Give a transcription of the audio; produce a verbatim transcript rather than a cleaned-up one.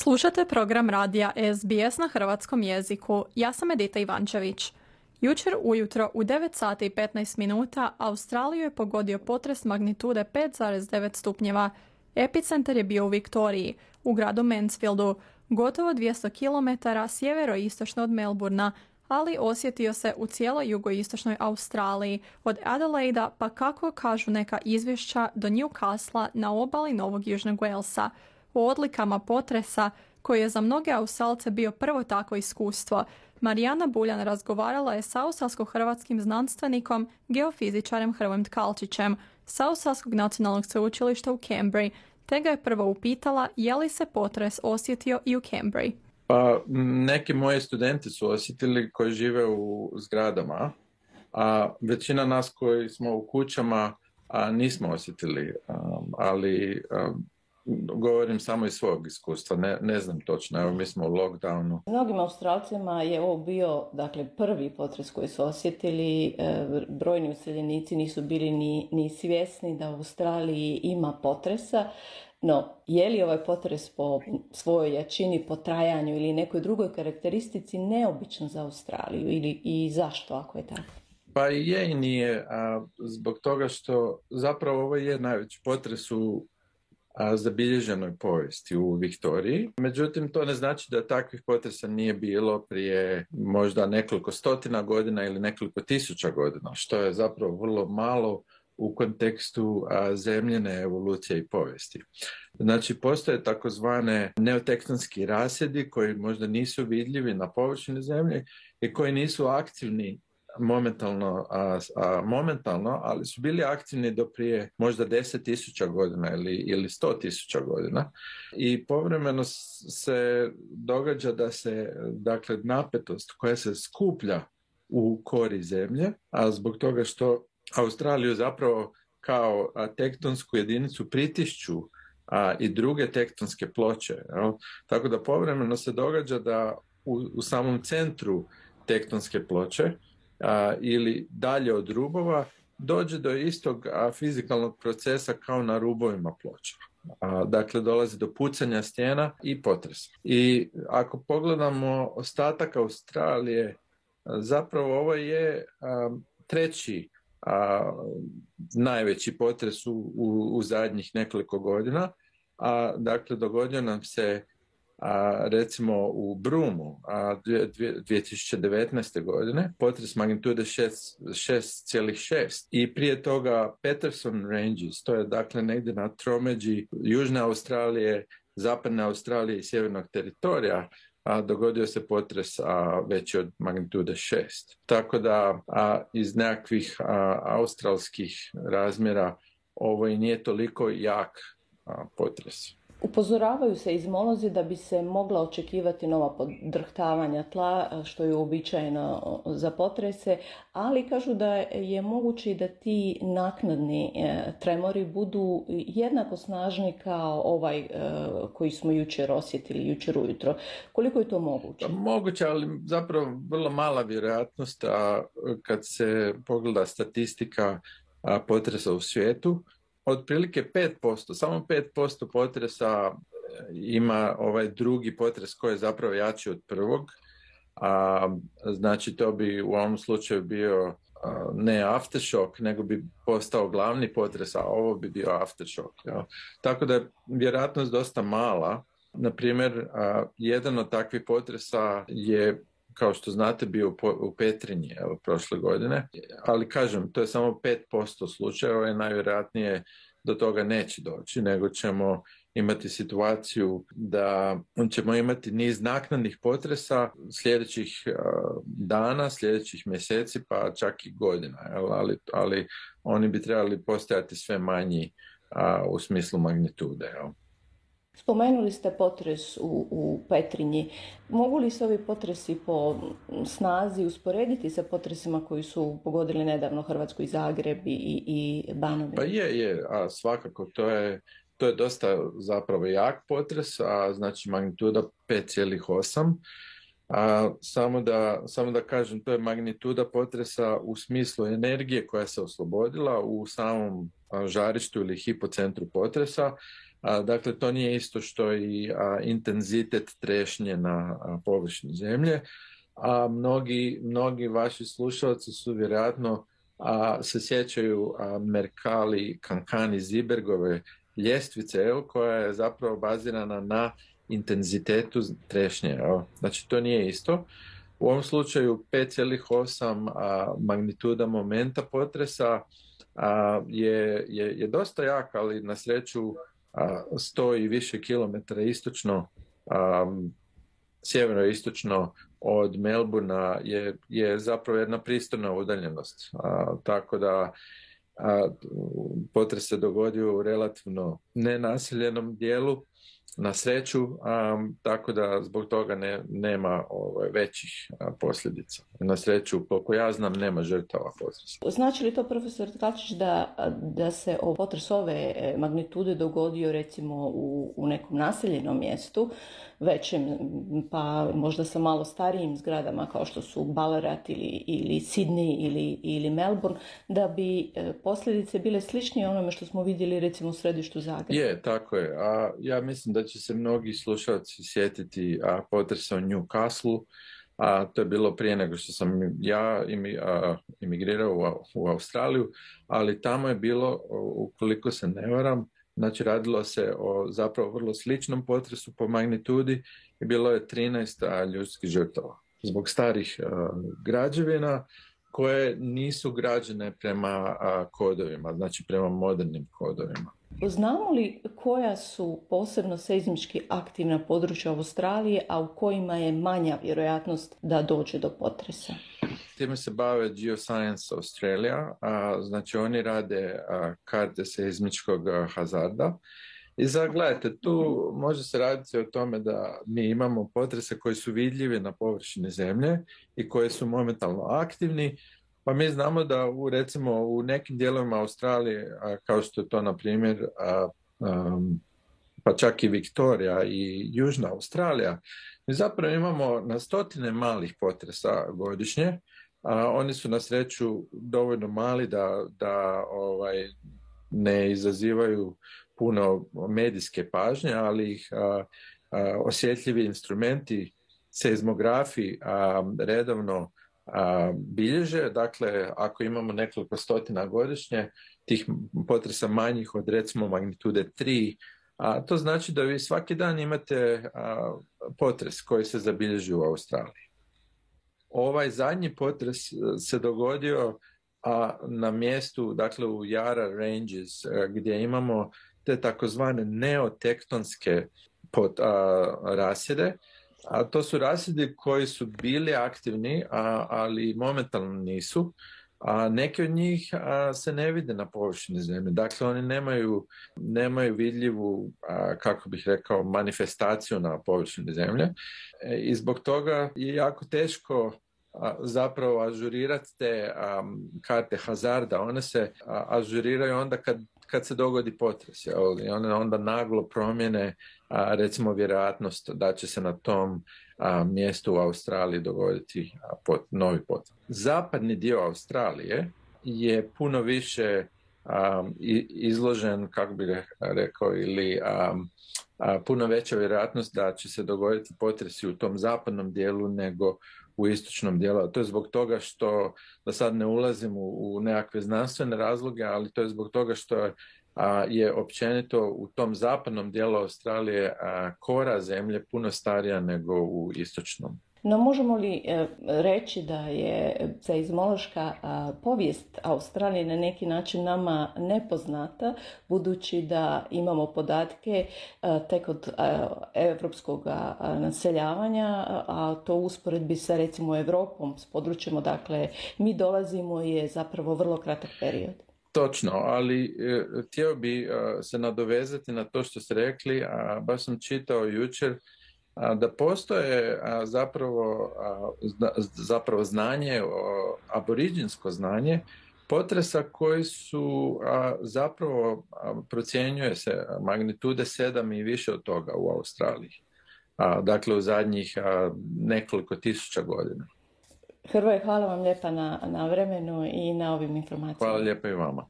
Slušate program radija S B S na hrvatskom jeziku. Ja sam Edita Ivančević. Jučer ujutro u devet sati i petnaest minuta Australiju je pogodio potres magnitude pet zarez devet stupnjeva. Epicentar je bio u Viktoriji, u gradu Mansfieldu, gotovo dvjesto kilometara sjeveroistočno od Melbourna, ali osjetio se u cijeloj jugoistočnoj Australiji, od Adelaida pa kako kažu neka izvješća do Newcastle na obali Novog Južnog Walesa. O odlikama potresa, koji je za mnoge Australce bio prvo takvo iskustvo, Marijana Buljan razgovarala je sa australsko-hrvatskim znanstvenikom, geofizičarem Hrvojem Tkalčićem sa Australskog nacionalnog sveučilišta u Canberri, te ga je prvo upitala je li se potres osjetio i u Canberri. Pa, neki moji studenti su osjetili koji žive u zgradama, a većina nas koji smo u kućama a, nismo osjetili, a, ali a, govorim samo iz svog iskustva, ne, ne znam točno, evo mi smo u lockdownu. Mnogim Australcima je ovo bio dakle, prvi potres koji su osjetili, e, brojni useljenici nisu bili ni, ni svjesni da u Australiji ima potresa. No, je li ovaj potres po svojoj jačini, po trajanju ili nekoj drugoj karakteristici neobičan za Australiju ili i zašto ako je tako? Pa i je i nije, a, zbog toga što zapravo ovo je najveći potres u a, zabilježenoj povijesti u Viktoriji. Međutim, to ne znači da takvih potresa nije bilo prije možda nekoliko stotina godina ili nekoliko tisuća godina, što je zapravo vrlo malo u kontekstu a, zemljene evolucije i povijesti. Znači, postoje takozvane neotektonski rasjedi koji možda nisu vidljivi na površini zemlje i koji nisu aktivni momentalno, a, a, momentalno, ali su bili aktivni do prije možda deset tisuća godina ili, ili sto tisuća godina. I povremeno se događa da se, dakle, napetost koja se skuplja u kori zemlje, a zbog toga što Australiju zapravo kao a, tektonsku jedinicu pritišću a, i druge tektonske ploče. Jel? Tako da povremeno se događa da u, u samom centru tektonske ploče a, ili dalje od rubova dođe do istog a, fizikalnog procesa kao na rubovima ploča. A, dakle, dolazi do pucanja stijena i potresa. I ako pogledamo ostatak Australije, a, zapravo ovo je a, treći A, najveći potres u, u, u zadnjih nekoliko godina, a dakle dogodio nam se a, recimo u Broomu a, dvije tisuće devetnaeste. godine potres magnitude šest zarez šest i prije toga Peterson Ranges, to je dakle negdje na tromeđi Južne Australije, Zapadne Australije i Sjevernog teritorija, a dogodio se potres a, veći od magnitude šest. Tako da a, iz nekakvih a, australskih razmjera ovo i nije toliko jak a, potres. Upozoravaju se izmolozi da bi se mogla očekivati nova podrhtavanja tla, što je uobičajeno za potrese, ali kažu da je moguće da ti naknadni tremori budu jednako snažni kao ovaj koji smo jučer osjetili, jučer ujutro. Koliko je to moguće? Moguće, ali zapravo vrlo mala vjerojatnost, a kad se pogleda statistika potresa u svijetu, otprilike pet posto, samo pet posto potresa ima ovaj drugi potres koji je zapravo jači od prvog. A, znači to bi u ovom slučaju bio a, ne aftershock, nego bi postao glavni potres, a ovo bi bio aftershock. Ja. Tako da je vjerojatnost dosta mala. Naprimjer, a, jedan od takvih potresa je, kao što znate, bio u Petrinji evo, prošle godine, ali kažem, to je samo pet posto slučajeva i najvjerojatnije do toga neće doći, nego ćemo imati situaciju da ćemo imati niz naknadnih potresa sljedećih uh, dana, sljedećih mjeseci, pa čak i godina, ali, ali oni bi trebali postajati sve manji uh, u smislu magnitude. Jel? Spomenuli ste potres u, u Petrinji. Mogu li se ovi potresi po snazi usporediti sa potresima koji su pogodili nedavno Hrvatsku i Zagreb i, i Banovinu? Pa je, je, a svakako to je, to je dosta zapravo jak potres, a znači magnituda pet zarez osam. A samo da, samo da kažem, to je magnituda potresa u smislu energije koja se oslobodila u samom žarištu ili hipocentru potresa. A, dakle, to nije isto što i a, intenzitet trešnje na a, površini zemlje. A mnogi, mnogi vaši slušalci su vjerojatno a, se sjećaju a, Mercalli, Cancani, Zibergove ljestvice, evo, koja je zapravo bazirana na intenzitetu trešnje. Evo. Znači, to nije isto. U ovom slučaju pet zarez osam a, magnituda momenta potresa a, je, je, je dosta jak, ali na sreću a, sto i više kilometara istočno, a, sjeveroistočno od Melbourna je, je zapravo jedna pristojna udaljenost. A, tako da a, potres se dogodio u relativno nenaseljenom dijelu, na sreću, um, tako da zbog toga ne, nema ovaj, većih a, posljedica. Na sreću, koliko ja znam, nema žrtava potresa. Znači li to, profesor Tkalčić, da, da se o potres ove magnitude dogodio recimo u, u nekom naseljenom mjestu, većem, pa možda sa malo starijim zgradama kao što su Ballarat ili, ili Sydney ili, ili Melbourne, da bi posljedice bile sličnije onome što smo vidjeli recimo u središtu Zagreba? Je, tako je. A ja mislim da će se mnogi slušalci sjetiti a, potresa u Newcastle, a to je bilo prije nego što sam ja imi, a, imigrirao u, u Australiju, ali tamo je bilo, ukoliko se ne varam, znači radilo se o zapravo vrlo sličnom potresu po magnitudi i bilo je trinaest a, ljudskih žrtava zbog starih a, građevina koje nisu građene prema a, kodovima, znači prema modernim kodovima. Znamo li koja su posebno seizmički aktivna područja Australije, a u kojima je manja vjerojatnost da dođe do potresa? Time se bave Geoscience Australia, a, znači oni rade a, karte seizmičkog a, hazarda. I sad gledajte, tu može se raditi o tome da mi imamo potrese koji su vidljivi na površini zemlje i koji su momentalno aktivni. Pa mi znamo da u, recimo u nekim dijelovima Australije, a, kao što je to na primjer, a, a, pa čak i Viktorija i Južna Australija, mi zapravo imamo na stotine malih potresa godišnje. A, oni su na sreću dovoljno mali da, da ovaj, ne izazivaju puno medijske pažnje, ali ih a, a, osjetljivi instrumenti, seizmografi a, redovno a, bilježe. Dakle, ako imamo nekoliko stotina godišnje, tih potresa manjih od recimo magnitude tri, a to znači da vi svaki dan imate a, potres koji se zabilježi u Australiji. Ovaj zadnji potres se dogodio a, na mjestu, dakle u Yarra Ranges, a, gdje imamo te takozvane neotektonske pot, a, rasjede. A to su rasjedi koji su bili aktivni, a, ali momentalno nisu. A neki od njih a, se ne vide na površini zemlje. Dakle, oni nemaju, nemaju vidljivu, a, kako bih rekao, manifestaciju na površini zemlje. E, I zbog toga je jako teško a, zapravo ažurirati te a, karte hazarda. One se a, ažuriraju onda kad, kad se dogodi potres. Jel? I one onda naglo promjene a, recimo vjerojatnost da će se na tom a, mjestu u Australiji dogoditi a, pot, novi potres. Zapadni dio Australije je puno više a, izložen, kako bih rekao, ili a, a, puno veća vjerojatnost da će se dogoditi potresi u tom zapadnom dijelu nego u istočnom dijelu. To je zbog toga što, da sad ne ulazim u, u nekakve znanstvene razloge, ali to je zbog toga što je A, je općenito u tom zapadnom dijelu Australije a, kora zemlje puno starija nego u istočnom. No možemo li e, reći da je seizmološka a, povijest Australije na neki način nama nepoznata, budući da imamo podatke a, tek od a, evropskog a, naseljavanja, a, a to u usporedbi sa recimo Europom, s područjem odakle mi dolazimo, je zapravo vrlo kratak period. Točno, ali e, htio bi e, se nadovezati na to što ste rekli, a baš sam čitao jučer a, da postoje a, zapravo, a, zna, zapravo znanje, o, aboriđinsko znanje potresa koji su a, zapravo a, procjenjuje se magnitude sedam i više od toga u Australiji. A, dakle, u zadnjih a, nekoliko tisuća godina. Hrvoje, hvala vam lijepa na, na vremenu i na ovim informacijama. Hvala lijepa i vama.